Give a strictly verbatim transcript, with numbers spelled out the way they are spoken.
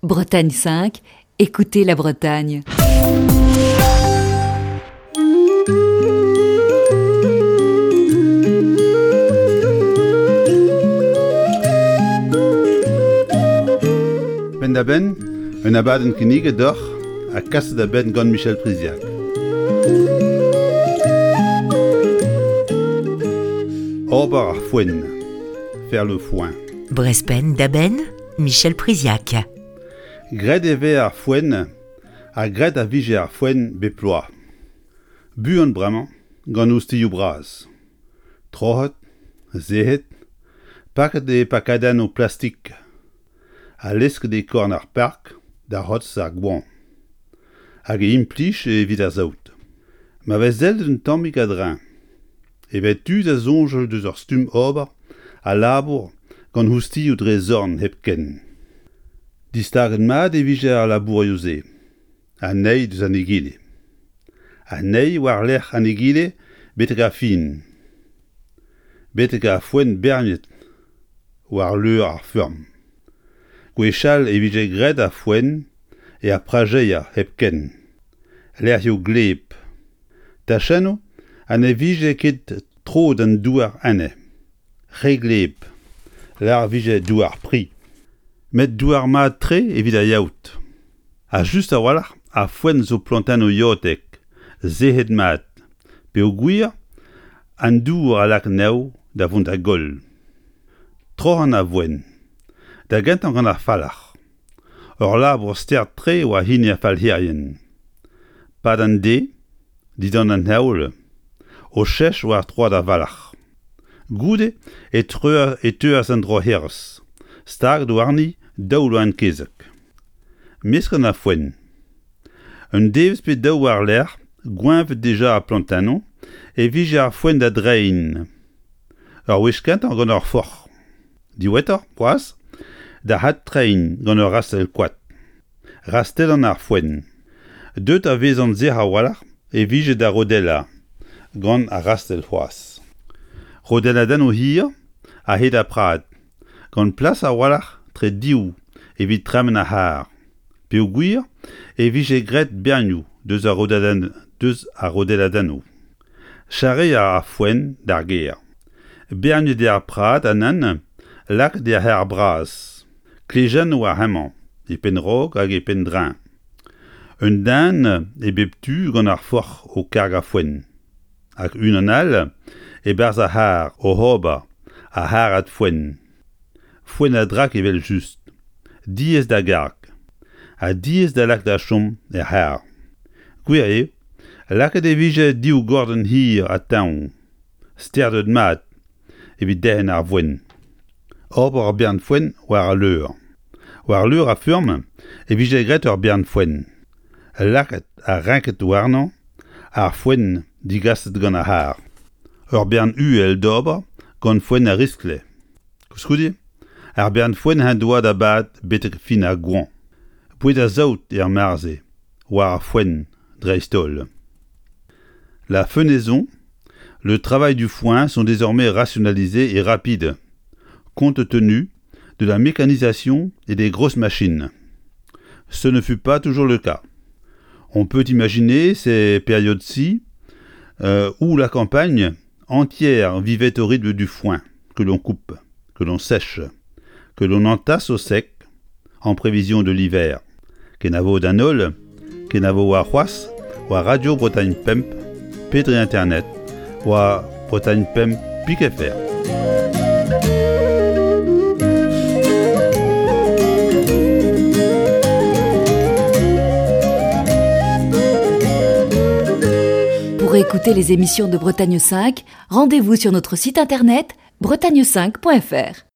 Bretagne cinq, écoutez la Bretagne. Penn-da-benn, un abadenn kinniget deoc'h ha kaset da benn gant Michel Priziac. Ober ar foenn, faire le foin. Brezh Penn-da-Benn, Michel Priziac. Graet e vez ar foenn ha graet a vije ar foenn bep bloaz. Buan bremañ gant ostilhoù bras. Troc'het, sec'het, paket e pakadennoù plastik ha lesket e korn ar park da c'hortoz ar goañv. Hag e implij evit ar saout. Ma vez sellet un tammig a-dreñv e vez tu da soñjal deus ur stumm ober ha labour gant ostilhoù dre zorn hepken. Distaget mat e vije ar labourioù-se, an eil deus an egile. An eil war-lerc'h an egile betek ar fin. Betek ar foenn berniet war leur ar feurm. Gwechall e vije graet ar foenn er prajeier hepken. Lec'hioù gleb. Tachennoù ha ne vije ket tro d'an douar enne. Re gleb. Lâret vije douar pri. Met douar mat-tre evit ar yaout. Ha just a-walc'h ar foenn zo plantennoù yaoutek, sec'het mat, peogwir an dour a lak anezho da vont da goll. Troc'hañ ar foenn. Da gentañ gant ar falc'h. Ur labour start-tre oa hini ar falc'herien. Pad an deiz, dindan an heol, o chech war troad ar valc'h. Goude e treu e teuas an droc'herez, staget warni daou loen kezeg. Meskañ ar foenn. Un devezh pe daou war-lerc'h, gweñvet dija ar plantennoù, e vije ar foenn da dreiñ. Ur wech kentañ gant ur forc'h. Diwezhatoc'h, c'hoazh, da adtreiñ gant ur rastell koad. Rastellañ ar foenn. Deuet a vezan sec'h a-walc'h e vije da rodellañ gant ar rastell c'hoazh. Rodelladennoù hir a-hed ar prad, gant plas a-walc'h tre div evit tremen ar c'harr. Peogwir e vije graet bernioù deus ar rodelladenn deus ar rodelladennoù. Charreañ ar foenn d'ar gêr. Berniet eo ar prad ha nann lakaet er c'harr bras. Klejennoù ar hemañ e penn-raok hag e penn-dreñv. Un den e bep tu gant ar forc'h o kargañ foenn. Hag unan all e-barzh ar c'harr oc'h ober ar c'harrad foenn. Foenn a-drak evel-just. Diaes da garg. Ha diaes da lakaat da chom er c'harr. Gwir eo, lakaet e vije div gordenn hir ha teñv, sterdet mat evit derc'hen ar foenn. Ober ur bern foenn war al leur. War leur ar feurm e vije graet ur bern foenn. Lakaet ha renket warnañ ar foenn digaset gant ar c'harr. Ur bern uhel d'ober gant foenn a riskle. Koulskoude, ar bern foenn en doa da bad betek fin ar goañv. Boued ar saout er mare-se, war ar foenn dreist-holl. La fenaison, le travail du foin sont désormais rationalisés et rapides, compte tenu de la mécanisation et des grosses machines. Ce ne fut pas toujours le cas. On peut imaginer ces périodes-ci euh, où la campagne entière vivait au rythme du foin que l'on coupe, que l'on sèche, que l'on entasse au sec en prévision de l'hiver. Kenavo d'an holl, kenavo warc'hoazh, war Radio Bretagne Pemp, pe dre internet, war Bretagne Pemp pik F R. Pour écouter les émissions de Bretagne cinq, rendez-vous sur notre site internet bretagne cinq point F R.